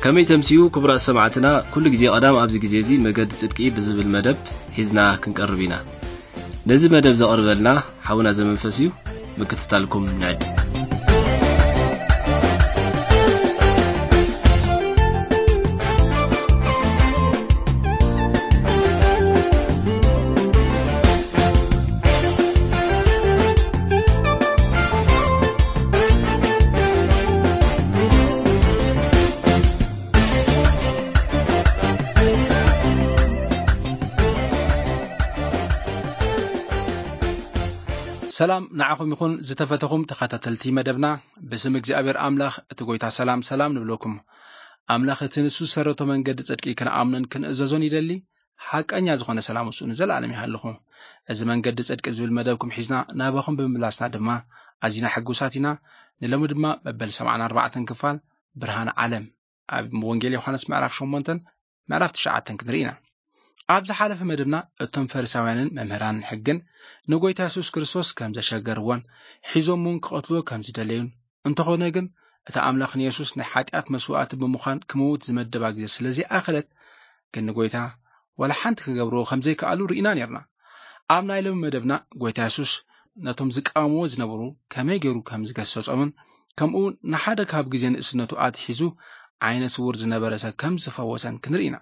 ከመይ ተምስዩ ክቡራት ሰማዕትና፣ ኩሉ ግዜ ቀዳም ኣብዚ ግዜ እዚ መገዲ ጽድቂ ብዝብል መደብ ሒዝና ክንቀርብ ኢና። ነዚ መደብ ዘቕርበልና ሓውና ዘመንፈስ እዩ። ምክትታልኩም ንዕድም። ሰላም ንዓኹም ይኹን፣ ዝተፈተኹም ተኸታተልቲ መደብና። ብስም እግዚኣብሔር ኣምላኽ እቲ ጐይታ ሰላም ሰላም ንብለኩም። ኣምላኽ እቲ ንሱ ዝሰረቶ መንገዲ ጽድቂ ክንኣምኖን ክንእዘዞን ይደሊ። ሓቀኛ ዝኾነ ሰላም እሱ ንዘለኣለም ይሃልኹ። እዚ መንገዲ ጽድቂ ዝብል መደብኩም ሒዝና ናባኹም ብምምላስና ድማ ኣዚና ሕጉሳት ኢና። ንሎሚ ድማ መበል ሰብዓን ኣርባዕተን ክፋል ብርሃን ዓለም ኣብ ወንጌል ዮሃንስ ምዕራፍ ሸሞንተን ምዕራፍ ትሽዓተን ክንርኢ ኢና። ኣብ ዝሓለፈ መደብና እቶም ፈሪሳውያንን መምህራንን ሕግን ንጎይታ የሱስ ክርስቶስ ከም ዘሸገርዎን ሒዞም እውን ክቐትልዎ ከም ዝደለዩን፣ እንተኾነ ግን እቲ ኣምላኽ ንየሱስ ናይ ሓጢኣት መስዋእቲ ብምዃን ክመውት ዝመደባ ግዜ ስለ ዘይኣኸለት ግን ንጎይታ ዋላ ሓንቲ ክገብርዎ ከም ዘይከኣሉ ርኢና ነርና። ኣብ ናይ ሎሚ መደብና ጎይታ የሱስ ነቶም ዝቃወምዎ ዝነበሩ ከመይ ገይሩ ከም ዝገሰጾምን ከምኡ እውን ንሓደ ካብ ግዜ ንእስነቱ ኣትሒዙ ዓይነ ስውር ዝነበረ ሰብ ከም ዝፈወሰን ክንርኢ ኢና።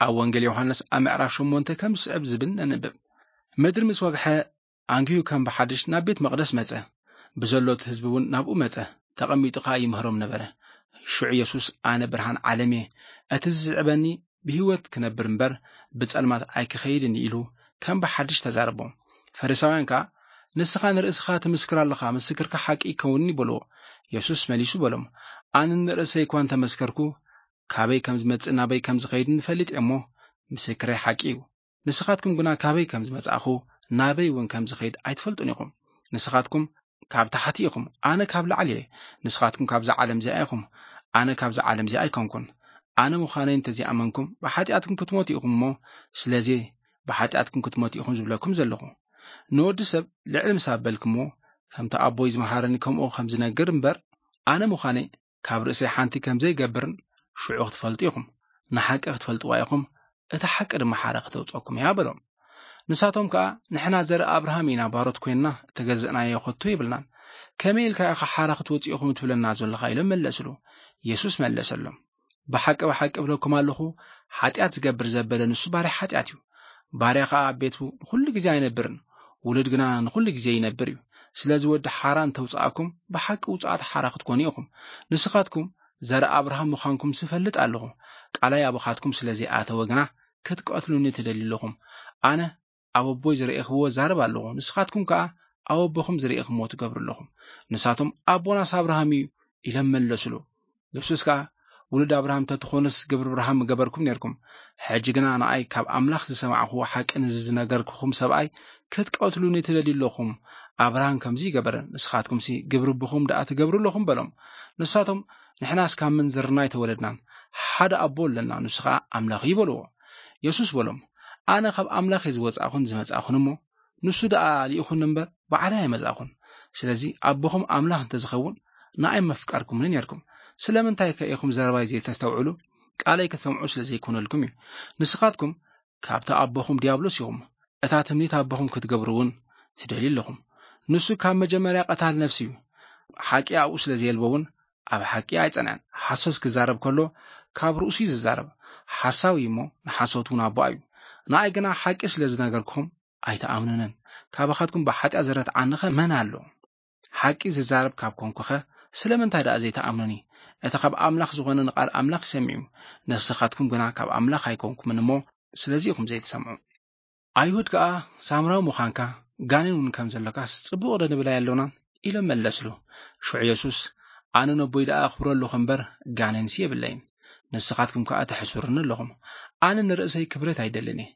ኣብ ወንጌል ዮሃንስ ኣብ ምዕራፍ ሸሞንተ ከም ዝስዕብ ዝብል ነንብብ። ምድሪ ምስ ወግሐ ኣንጊሁ ከም ብሓድሽ ናብ ቤት መቕደስ መጸ። ብዘሎ እቲ ህዝቢ እውን ናብኡ መጸ። ተቐሚጡ ኸኣ ይምህሮም ነበረ። ሽዑ የሱስ፣ "ኣነ ብርሃን ዓለም እየ። እቲ ዝስዕበኒ ብህይወት ክነብር እምበር ብጸልማት ኣይክኸይድን" ኢሉ ከም ብሓድሽ ተዛረቦም። ፈሪሳውያን ከኣ፣ "ንስኻ ንርእስኻ ትምስክር ኣለኻ፣ ምስክርካ ሓቂ ይከውንኒ" በልዎ። የሱስ መሊሱ በሎም፣ "ኣነ ንርእሰይ እኳ እንተመስከርኩ፣ ካበይ ከም ዝመጽእ ናበይ ከም ዝኸይድን እፈልጥ እየ እሞ፣ ምስክረይ ሓቂ እዩ። ንስኻትኩም ግና ካበይ ከም ዝመጻእኹ ናበይ እውን ከም ዝኸይድ ኣይትፈልጡን ኢኹም። ንስኻትኩም ካብ ታሕቲ ኢኹም፣ ኣነ ካብ ላዕሊ እየ። ንስኻትኩም ካብዛ ዓለም እዚኣ ኢኹም፣ ኣነ ካብዛ ዓለም እዚኣ ኣይኮንኩን። ኣነ ምዃነይ እንተዘይኣመንኩም ብሓጢኣትኩም ክትሞቱ ኢኹም እሞ፣ ስለዚ ብሓጢኣትኩም ክትሞቱ ኢኹም ዝብለኩም ዘለኹ። ንወዲ ሰብ ልዕሊ ምስ ኣበልኩምዎ፣ ከምቲ ኣቦይ ዝመሃረኒ ከምኡ ከም ዝነግር እምበር፣ ኣነ ምዃነይ ካብ ርእሰይ ሓንቲ ከም ዘይገብርን ሽዑ ክትፈልጡ ኢኹም። ንሓቂ ክትፈልጥዋ ኢኹም፣ እታ ሓቂ ድማ ሓራ ክተውጸኩም እያ" በሎም። ንሳቶም ከኣ፣ "ንሕና ዘርኢ ኣብርሃም ኢና፣ ባሮት ኮይንና እተገዘእናዮ ከቶ የብልናን። ከመይ ኢልካ ኢኻ ሓራ ክትወጽኡ ኢኹም ትብለና ዘለኻ?" ኢሎም መለስሉ። የሱስ መለሰሎም፣ "ብሓቂ ብሓቂ እብለኩም ኣለኹ፣ ሓጢኣት ዝገብር ዘበለ ንሱ ባርያ ሓጢኣት እዩ። ባርያ ኸኣ ኣብ ቤቱ ንኹሉ ግዜ ኣይነብርን፣ ውሉድ ግና ንኹሉ ግዜ ይነብር እዩ። ስለዚ ወዲ ሓራ እንተውጽኣኩም፣ ብሓቂ ውጹኣት ሓራ ክትኮኑ ኢኹም። ንስኻትኩም ዘርኢ ኣብርሃም ምዃንኩም ዝፈልጥ ኣለኹ። ቃላይ ኣቦኻትኩም ስለ ዘይኣተወ ግና ክትቀትሉኒ ትደልዩ ኣለኹም። ኣነ ኣብ ኣቦይ ዝረኤኽዎ እዛረብ ኣለኹ፣ ንስኻትኩም ከኣ ኣብ ኣቦኹም ዝረኤኽምዎ ትገብሩ ኣለኹም። ንሳቶም ኣቦናስ ኣብርሃም እዩ" ኢሎም መለሱሉ። የሱስ ከኣ፣ "ውሉድ ኣብርሃም እንተትኾኑስ ግብሪ ኣብርሃም ምገበርኩም ኔርኩም። ሕጂ ግና ንኣይ ካብ ኣምላኽ ዝሰማዕኽዎ ሓቂ ነዚ ዝነገርኩኹም ሰብኣይ ክትቀትሉኒ ትደልዩ ኣለኹም። ኣብርሃም ከምዚ ይገበረ፣ ንስኻትኩምሲ ግብሪ ኣቦኹም ደኣ ትገብሩ ኣለኹም" በሎም። ንሳቶም፣ "ንሕናስ ካብ ምንዝርና ኣይተወለድናን፣ ሓደ ኣቦ ኣለና፣ ንሱ ኸኣ ኣምላኽ እዩ" በልዎ። የሱስ በሎም፣ "ኣነ ካብ ኣምላኽ እየ ዝወጻእኹን ዝመጻእኹን እሞ፣ ንሱ ደኣ ልኢኹኒ እምበር ባዕለይ ኣይመጻእኹን። ስለዚ ኣቦኹም ኣምላኽ እንተዝኸውን ንኣይ ምፍቀርኩምኒ ኔርኩም። ስለምንታይ ከ ኢኹም ዘረባይ ዘይተስተውዕሉ? ቃለይ ክትሰምዑ ስለ ዘይኮነልኩም እዩ። ንስኻትኩም ካብቲ ኣቦኹም ዲያብሎስ ኢኹም፣ እታ ትምኒት ኣቦኹም ክትገብሩ እውን ትደልዩ ኣለኹም። ንሱ ካብ መጀመርያ ቀታል ነፍሲ እዩ። ሓቂ ኣብኡ ስለ ዘየልቦ እውን ኣብ ሓቂ ኣይጸንዐን። ሓሶት ክዛረብ ከሎ ካብ ርእሱ እዩ ዝዛረብ። ሓሳዊ እዩ እሞ ንሓሶት እውን ኣቦኣ እዩ። ንኣይ ግና ሓቂ ስለ ዝነገርኩኹም ኣይትኣምኑንን። ካባኻትኩም ብሓጢኣት ዝረትዓኒኸ መን ኣሎ? ሓቂ ዝዛረብ ካብ ኮንኩኸ ስለምንታይ ደኣ ዘይትኣምኑኒ? እቲ ካብ ኣምላኽ ዝኾነ ንቓል ኣምላኽ ይሰምዕ እዩ። ንስኻትኩም ግና ካብ ኣምላኽ ኣይኮንኩምን እሞ ስለዚ ኢኹም ዘይትሰምዑ። ኣይሁድ ከኣ ሳምራዊ ምዃንካ ጋኔን እውን ከም ዘሎካስ ጽቡቕ ዶ ንብል ኣየሎናን?" ኢሎም መለስሉ። ሽዑ የሱስ፣ "ኣነ ነቦይ ደኣ ኣኽብሮ ኣለኹ እምበር ጋኔንሲ የብለይን። ንስኻትኩም ከኣ ተሕስሩኒ ኣለኹም። ኣነ ንርእሰይ ክብረት ኣይደልን እየ።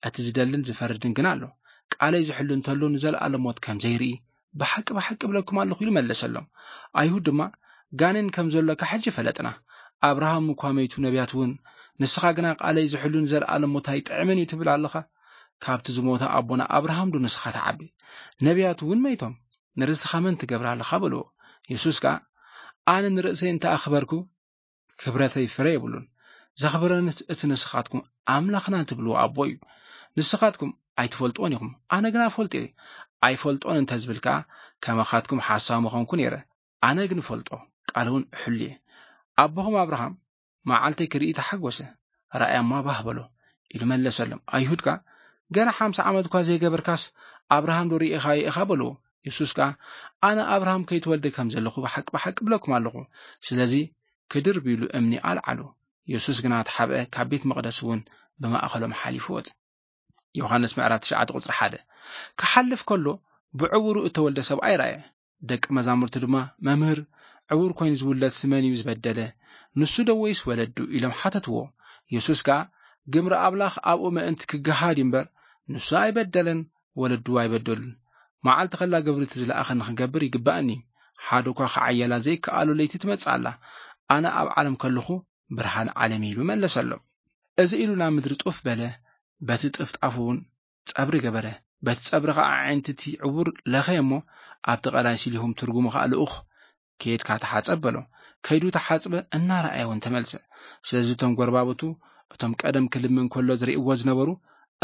እቲ ዝደልን ዝፈርድን ግና ኣሎ። ቃለይ ዝሕሉ እንተሎ ንዘለኣለም ሞት ከም ዘይርኢ ብሓቂ ብሓቂ እብለኩም ኣለኹ" ኢሉ መለሰሎም። ኣይሁድ ድማ፣ "ጋኔን ከም ዘሎካ ሕጂ ፈለጥና። ኣብርሃም እኳ መይቱ ነቢያት እውን፣ ንስኻ ግና ቃለይ ዝሕሉ ንዘለኣለም ሞት ኣይጥዕምን እዩ ትብል ኣለኻ? ካብቲ ዝሞተ ኣቦና ኣብርሃም ዶ ንስኻ ትዓቢ? ነቢያት እውን መይቶም፣ ንርእስኻ መን ትገብር ኣለኻ?" በልዎ። የሱስ ከኣ፣ "ኣነ ንርእሰይ እንተ ኣኽበርኩ፣ ክብረተይ ፍረ የብሉን። ዘኽብረኒ እቲ ንስኻትኩም ኣምላኽና ትብልዎ ኣቦ እዩ። ንስኻትኩም ኣይትፈልጥዎን ኢኹም፣ ኣነ ግና እፈልጦ እየ። ኣይፈልጦን እንተ ዝብል ከኣ፣ ከማኻትኩም ሓሳዊ ምኾንኩ ነይረ። ኣነ ግን እፈልጦ፣ ቃሉ እውን እሕሉ እየ። ኣቦኹም ኣብርሃም መዓልተይ ክርኢ ተሓጎሰ፣ ራእያማ ባህ በሎ ኢሉ መለሰሎም። ኣይሁድ ከኣ፣ ገና ሓምሳ ዓመት እኳ ዘይገበርካስ ኣብርሃም ዶ ርኢኻዮ ኢኻ በልዎ። የሱስ ከኣ፣ ኣነ ኣብርሃም ከይተወልደ ከም ዘለኹ ብሓቂ ብሓቂ እብለኩም ኣለኹ። ስለዚ ክድርብ ኢሉ እምኒ ኣልዓሉ። የሱስ ግና ተሓብአ፣ ካብ ቤት መቕደስ እውን ብማእከሎም ሓሊፉ ወጸ። ዮሃንስ ምዕራፍ ትሽዓተ ቁጽሪ ሓደ። ክሓልፍ ከሎ ብዕውሩ እተወልደ ሰብኣይ ረኣየ። ደቂ መዛሙርቱ ድማ፣ መምህር፣ ዕውር ኮይኑ ዝውለድ ስመን እዩ ዝበደለ፣ ንሱ ዶ ወይስ ወለዱ? ኢሎም ሓተትዎ። የሱስ ከኣ፣ ግብሪ ኣምላኽ ኣብኡ ምእንቲ ክገሃድ እዩ እምበር፣ ንሱ ኣይበደለን፣ ወለዱ ኣይበደሉን። መዓልቲ ከላ ግብሪ እቲ ዝለኣኸኒ ክገብር ይግባእኒ። ሓደ እኳ ክዓየላ ዘይከኣሎ ለይቲ ትመጽእ ኣላ። ኣነ ኣብ ዓለም ከለኹ ብርሃን ዓለም እዩ ኢሉ መለሰሎም። እዚ ኢሉ ናብ ምድሪ ጡፍ በለ፣ በቲ ጥፍጣፉ እውን ጸብሪ ገበረ። በቲ ጸብሪ ኸዓ ኣዒንቲ እቲ ዕውር ለኸየ እሞ፣ ኣብቲ ቐላይ ሲሊሆም ትርጉሙ ኸዓ ልኡኽ፣ ከይድካ ተሓጸብ በሎ። ከይዱ ተሓጽበ፣ እናረኣየ እውን ተመልሰ። ስለዚ እቶም ጎረባብቱ፣ እቶም ቀደም ክልምን ከሎ ዝርእይዎ ዝነበሩ፣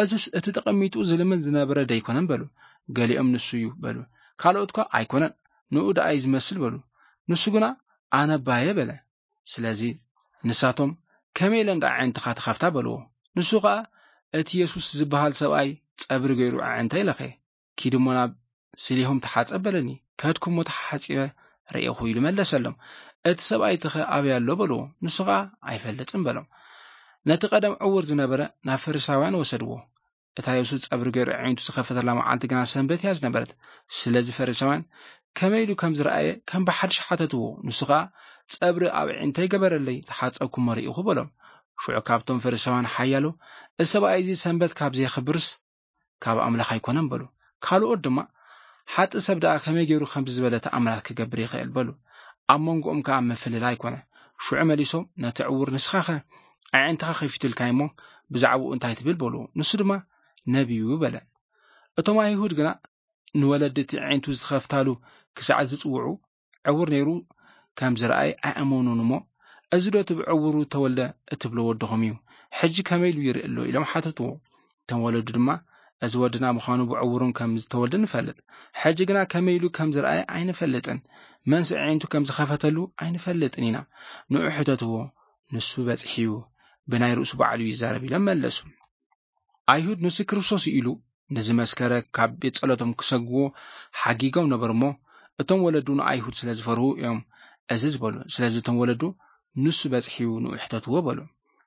እዝስ እቲ ተቐሚጡ ዝልምን ዝነበረ ደይኮነን በሉ። ገሊኦም ንሱ እዩ በሉ። ካልኦት ከ ኣይኮነን፣ ንኡ ደኣ እዩ ዝመስል በሉ። ንሱ ግና ኣነ ኣባየ በለ። ስለዚ ንሳቶም ከመይ ኢለን ደኣ ኣዒንትኻ ትኸፍታ በልዎ። ንሱ ኸኣ እቲ የሱስ ዝበሃል ሰብኣይ ጸብሪ ገይሩ ኣዒንተይ ለኸየ። ኪድ እሞ ናብ ስሊሆም ተሓጸብ በለኒ። ከድኩ እሞ ተሓጺበ ረኤኹ ኢሉ መለሰሎም። እቲ ሰብኣይ ተኸ ኣበይ ኣሎ በልዎ። ንሱ ኸኣ ኣይፈልጥን በሎም። ነቲ ቀደም ዕውር ዝነበረ ናብ ፈሪሳውያን ወሰድዎ። እታ የሱስ ጸብሪ ገይሩ ኣዒንቱ ዝኸፈተላ መዓልቲ ግና ሰንበት እያ ዝነበረት። ስለዚ ፈሪሳውያን ከመይ ኢሉ ከም ዝረኣየ ከም ብሓድሽ ሓተትዎ። ንሱ ኸኣ ጸብሪ ኣብ ኣዒንተይ ገበረለይ፣ ተሓጸብኩ እሞ ርኢኹ በሎም። ሽዑ ካብቶም ፈሪሳውያን ሓያሎ፣ እዚ ሰብኣይ እዚ ሰንበት ካብ ዘየኽብርስ ካብ ኣምላኽ ኣይኮነን በሉ። ካልኦት ድማ ሓጢእ ሰብ ደኣ ከመይ ገይሩ ከምዚ ዝበለ ተኣምራት ክገብር ይኽእል በሉ። ኣብ መንጎኦም ከኣ ምፍልላይ ኮነ። ሽዑ መሊሶም ነቲ ዕውር ንስኻኸ ኣዒንትኻ ከፊቱልካ እሞ ብዛዕባኡ እንታይ ትብል በልዎ። ንሱ ድማ ነቢዩ በለ። እቶም ኣይሁድ ግና ንወለዲ እቲ ኣዒንቱ ዝተኸፍታሉ ክሳዕ ዝጽውዑ ዕውር ነይሩ ከም ዝረኣየ ኣይኣመኑን እሞ፣ እዚ ዶ እቲ ብዕውሩ ተወልደ እትብሎ ወድኹም እዩ? ሕጂ ከመይ ኢሉ ይርኢ ኣሎ? ኢሎም ሓተትዎ። እቶም ወለዱ ድማ፣ እዚ ወድና ምዃኑ ብዕውሩን ከም ዝተወልደ ንፈልጥ። ሕጂ ግና ከመይ ኢሉ ከም ዝረኣየ ኣይንፈልጥን። መንስ ኣዒንቱ ከም ዝኸፈተሉ ኣይንፈልጥን ኢና። ንዑ ሕተትዎ፣ ንሱ በጺሑ እዩ፣ ብናይ ርእሱ ባዕሉ ይዛረብ ኢሎም መለሱ። ኣይሁድ ንሱ ክርስቶስ እዩ ኢሉ ንዝመስከረ ካብ ቤት ጸሎቶም ክሰግዎ ሓጊጎም ነበሩ እሞ፣ እቶም ወለዱ ንኣይሁድ ስለ ዝፈርሁ እዮም እዚ ዝበሉ። ስለዚ እቶም ወለዱ ንሱ በጺሑ እዩ ንኡ ሕተትዎ በሉ።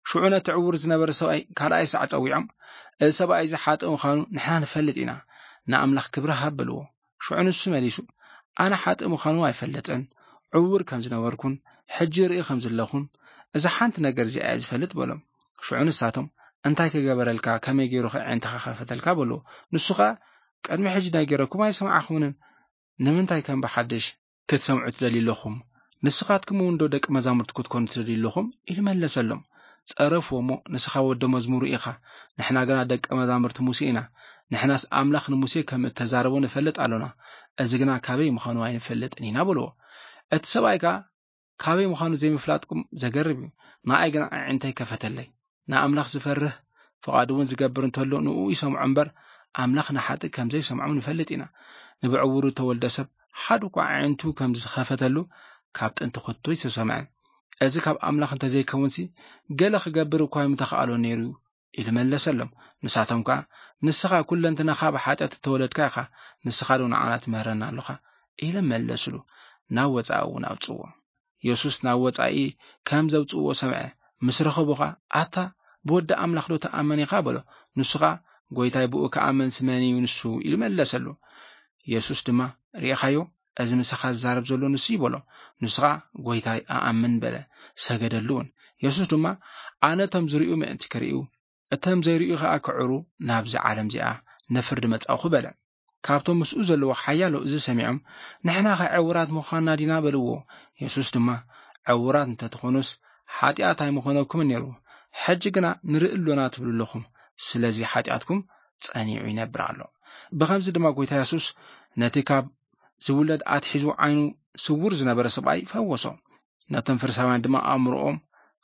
ሽዑ ነቲ ዕውር ዝነበረ ሰብኣይ ካልኣይ ሳዕ ጸዊዖም፣ እዚ ሰብኣይ እዚ ሓጥእ ምዃኑ ንሕና ንፈልጥ ኢና፣ ንኣምላኽ ክብሪ ሃብ በልዎ። ሽዑ ንሱ መሊሱ፣ ኣነ ሓጥእ ምዃኑ ኣይፈልጥን፣ ዕውር ከም ዝነበርኩን ሕጂ ርኢ ከም ዘለኹን እዛ ሓንቲ ነገር እዚኣ እየ ዝፈልጥ በሎም። ሽዑ ንሳቶም፣ እንታይ ክገበረልካ፣ ከመይ ገይሩ ከ ኣዒንትኻ ከፈተልካ በልዎ። ንሱ ኸኣ፣ ቅድሚ ሕጂ ነጊረኩም ኣይሰማዕኹምንን፣ ንምንታይ ከም ብሓድሽ ክትሰምዑ ትደልዩ ኣለኹም? ንስኻትኩም እውን ዶ ደቂ መዛሙርቲ ክትኮኑ ትደልዩ ኣለኹም? ኢሉ መለሰሎም። ጸረፍዎ እሞ፣ ንስኻ ወዲ መዝሙሩ ኢኻ፣ ንሕና ግና ደቂ መዛሙርቲ ሙሴ ኢና። ንሕናስ ኣምላኽ ንሙሴ ከም እተዛረቦ ንፈልጥ ኣሎና፣ እዚ ግና ካበይ ምዃኑ ኣይንፈልጥን ኢና በልዎ። እቲ ሰብኣይ ከኣ፣ ካበይ ምዃኑ ዘይምፍላጥኩም ዘገርም እዩ። ንኣይ ግና ኣዒንተይ ከፈተለይ። ንኣምላኽ ዝፈርህ፣ ፍቓዱ እውን ዝገብር እንተሎ ንኡ ይሰምዖ እምበር፣ ኣምላኽ ንሓጥእ ከም ዘይሰምዖም ንፈልጥ ኢና። ንብዕውሩ እተወልደ ሰብ ሓደ እኳ ኣዒንቱ ከም ዝኸፈተሉ ካብ ጥንቲ ከቶ ኣይተሰምዐን። እዚ ካብ ኣምላኽ እንተዘይከውንሲ፣ ገለ ክገብር እኳ ምተኻእሎ ነይሩ እዩ፣ ኢሉ መለሰሎም። ንሳቶም ከኣ፣ ንስኻ ኩለንትናኻ ብሓጢኣት እተወለድካ ኢኻ፣ ንስኻ ዶ ንዓና ትምህረና ኣሎኻ? ኢሎም መለሱሉ። ናብ ወጻኢ እውን ኣውጽዎ። የሱስ ናብ ወጻኢ ከም ዘውጽእዎ ሰምዐ። ምስ ረኸቦ ኸኣ፣ ኣታ ብወዲ ኣምላኽ ዶ ትኣምን ኢኻ? በሎ። ንሱ ኸኣ፣ ጐይታይ፣ ብኡ ክኣምንስ መን እዩ ንሱ? ኢሉ መለሰሉ። የሱስ ድማ፣ ርኢኻዮ? እዚ ምሳኻ ዝዛረብ ዘሎ ንሱ እዩ በሎ። ንሱ ኸኣ፣ ጐይታይ፣ እኣምን በለ። ሰገደሉ እውን። የሱስ ድማ፣ ኣነ እቶም ዝርእዩ ምእንቲ ክርእዩ፣ እቶም ዘይርእዩ ኸኣ ክዕሩ ናብዚ ዓለም እዚኣ ንፍርዲ መጻእኹ በለ። ካብቶም ምስኡ ዘለዉ ሓያሎ እዚ ሰሚዖም፣ ንሕናኸ ዕዉራት ምዃንና ዲና? በልዎ። የሱስ ድማ፣ ዕዉራት እንተ ትኾኑስ፣ ሓጢኣት ኣይምኾነኩምን ነይሩ። ሕጂ ግና ንርኢ ኣሎና ትብሉ ኣለኹም። ስለዚ ሓጢኣትኩም ጸኒዑ ይነብር ኣሎ። ብኸምዚ ድማ ጐይታ የሱስ ነቲ ካብ ዝውለድ ኣትሒዙ ዓይኑ ስዉር ዝነበረ ሰብኣይ ፈወሶ። ነቶም ፈሪሳውያን ድማ ኣእምሮኦም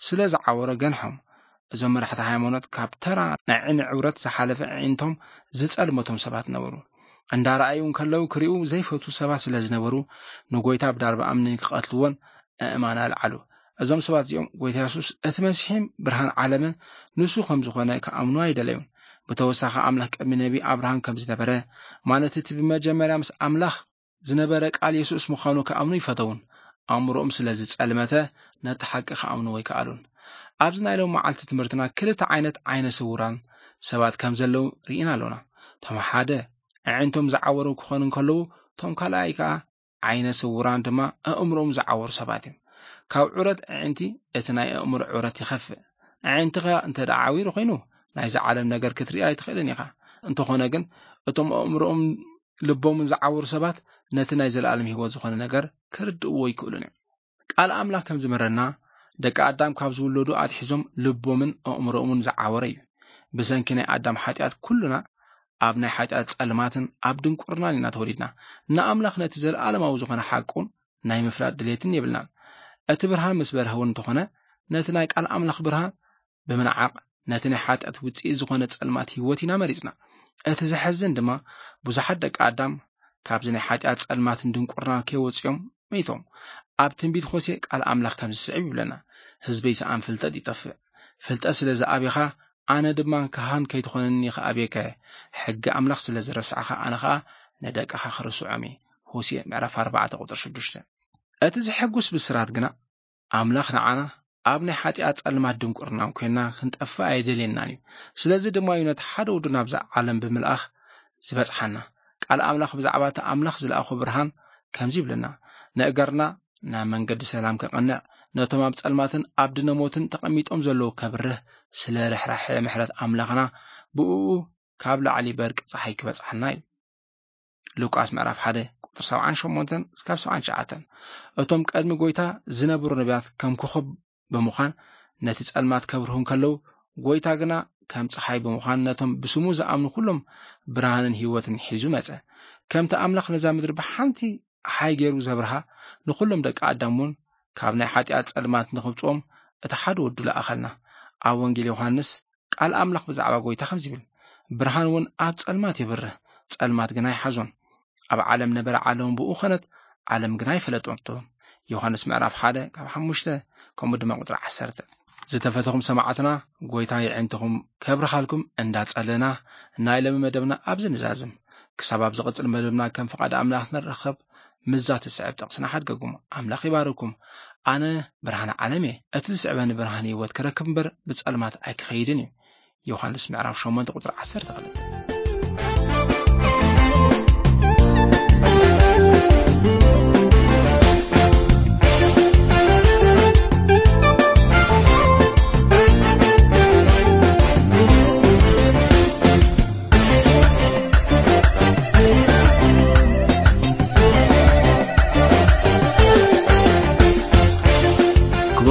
ስለ ዝዓወረ ገንሖም። እዞም መራሕቲ ሃይማኖት ካብ ተራ ናይ ዓይኒ ዕውረት ዝሓለፈ ኣዒንቶም ዝጸልመቶም ሰባት ነበሩ። እንዳረኣዩ እንከለዉ ክሪኡ ዘይፈቱ ሰባት ስለ ዝነበሩ፣ ንጎይታ ብዳርባ እምኒ ክቐትልዎን ኣእማን ኣልዓሉ። እዞም ሰባት እዚኦም፣ ጎይታ የሱስ እቲ መሲሕን ብርሃን ዓለምን ንሱ ከም ዝኾነ ክኣምኑ ኣይደለዩን። ብተወሳኺ፣ ኣምላኽ ቅድሚ ነቢ ኣብርሃም ከም ዝነበረ፣ ማለት እቲ ብመጀመርያ ምስ ኣምላኽ ዝነበረ ቃል የሱስ ምዃኑ ክኣምኑ ይፈተውን። ኣእምሮኦም ስለ ዝጸልመተ፣ ነቲ ሓቂ ክኣምኑ ኣይከኣሉን። ኣብዚ ናይ ሎም መዓልቲ ትምህርትና ክልተ ዓይነት ዓይነ ስውራን ሰባት ከም ዘለዉ ርኢና ኣሎና። እቶም ሓደ ኣዒንቶም ዝዓወሩ ክኾኑ እንከለዉ፣ እቶም ካልኣይ ከኣ ዓይነ ስውራን ድማ ኣእምሮኦም ዝዓወሩ ሰባት እዮም። ካብ ዑረት ኣዒንቲ እቲ ናይ ኣእምሮ ዑረት ይኸፍእ። ኣዒንትኻ እንተ ደኣ ዓዊሩ ኮይኑ፣ ናይዚ ዓለም ነገር ክትርኢ ኣይትኽእልን ኢኻ። እንተኾነ ግን፣ እቶም ኣእምሮኦም ልቦምን ዝዓወሩ ሰባት ነቲ ናይ ዘለኣለም ህይወት ዝኾነ ነገር ክርድእዎ ይክእሉን እዮም። ቃል ኣምላኽ ከም ዝምህረና፣ ደቂ ኣዳም ካብ ዝውለዱ ኣትሒዞም ልቦምን ኣእምሮኦምን ዝዓወረ እዩ። ብሰንኪ ናይ ኣዳም ሓጢኣት ኩልና ኣብ ናይ ሓጢኣት ጸልማትን ኣብ ድንቁርናን ኢና ተወሊድና። ንኣምላኽ ነቲ ዘለኣለማዊ ዝኾነ ሓቁን ናይ ምፍላጥ ድሌትን የብልናን። እቲ ብርሃን ምስ በርሀ እውን እንተኾነ፣ ነቲ ናይ ቃል ኣምላኽ ብርሃን ብምንዓቕ፣ ነቲ ናይ ሓጢኣት ውጽኢት ዝኾነ ጸልማት ህይወት ኢና መሪጽና። እቲ ዘሕዝን ድማ፣ ብዙሓት ደቂ ኣዳም ካብዚ ናይ ሓጢኣት ጸልማትን ድንቁርናን ከይወጽኦም መይቶም። ኣብ ትንቢት ሆሴ ቃል ኣምላኽ ከምዚ ስዕብ ይብለና፣ "ህዝበይ ሰኣን ፍልጠት ይጠፍእ። ፍልጠት ስለ ዝኣብኻ፣ ኣነ ድማ ካህን ከይትኾነኒ ከኣብየከ። ሕጊ ኣምላኽ ስለ ዝረሳዕኻ፣ ኣነ ኸኣ ንደቅኻ ክርስዖም እየ።" ሆሴ ምዕራፍ ኣርባዕተ ቁጽሪ ሽዱሽተ። እቲ ዘሐጉስ ብስራት ግና፣ ኣምላኽ ንዓና ኣብ ናይ ሓጢኣት ጸልማት ድንቁርናን ኮይንና ክንጠፍእ ኣይደልየናን እዩ። ስለዚ ድማ እዩ ነቲ ሓደ ወዱ ናብዛ ዓለም ብምልኣኽ ዝበጽሓና። ቃል ኣምላኽ ብዛዕባ እቲ ኣምላኽ ዝለኣኾ ብርሃን ከምዚ ይብለና፣ "ንእገርና ናብ መንገዲ ሰላም ከቕንዕ፣ ነቶም ኣብ ጸልማትን ኣብ ድነ ሞትን ተቐሚጦም ዘለዉ ከብርህ፣ ስለ ርሕራሐ ምሕረት ኣምላኽና ብእኡ ካብ ላዕሊ በርቂ ጸሓይ ክበጽሓና እዩ።" ሉቃስ ምዕራፍ ሓደ ቁጽሪ ሰብዓን ሸሞንተን እስካብ ሰብዓን ትሽዓተን። እቶም ቀድሚ ጎይታ ዝነበሩ ነቢያት ከም ኮኸብ ብምዃን ነቲ ጸልማት ከብርሁ እንከለዉ፣ ጎይታ ግና ከም ጸሓይ ብምዃን ነቶም ብስሙ ዝኣምኑ ኩሎም ብርሃንን ህይወትን ሒዙ መጸ። ከምቲ ኣምላኽ ነዛ ምድሪ ብሓንቲ ሓይ ገይሩ ዘብርሃ፣ ንኹሎም ደቂ ኣዳም እውን ካብ ናይ ሓጢኣት ጸልማት ንኽብጽኦም እቲ ሓደ ወዱ ለኣኸልና። ኣብ ወንጌል ዮሃንስ ቃል ኣምላኽ ብዛዕባ ጎይታ ከምዚ ይብል፣ "ብርሃን እውን ኣብ ጸልማት የብርህ፣ ጸልማት ግና ኣይሓዞን። ኣብ ዓለም ነበረ፣ ዓለም ብኡ ኸነት፣ ዓለም ግና ኣይፈለጠቶን።" ዮሃንስ ምዕራፍ ሓደ ካብ ሓሙሽተ፣ ከምኡ ድማ ቁጽሪ ዓሰርተ። ዝተፈተኹም ሰማዕትና፣ ጎይታ የዕንትኹም ከብርኻልኩም እንዳጸለና፣ ናይ ሎሚ መደብና ኣብዚ ንዛዝም። ክሳብ ኣብ ዝቕጽል መደብና ከም ፍቓድ ኣምላኽ ንራኸብ፣ ምስዛ ትስዕብ ጥቕስና ሓድገኩም። ኣምላኽ ይባርኩም። ኣነ ብርሃን ዓለም እየ። እቲ ዝስዕበኒ ብርሃን ህይወት ክረክብ እምበር፣ ብጸልማት ኣይክኸይድን እዩ። ዮሃንስ ምዕራፍ ሸሞንተ ቁጽሪ ዓሰርተ ክልተ።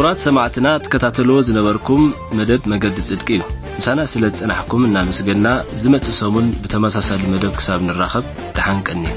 ክቡራት ሰማዕትና፣ ትከታተልዎ ዝነበርኩም መደብ መገዲ ጽድቂ እዩ። ምሳና ስለ ዝጸናሕኩም እናመስገና፣ ዝመጽእ ሰሙን ብተመሳሳሊ መደብ ክሳብ ንራኸብ፣ ደሓን ቀንዩ።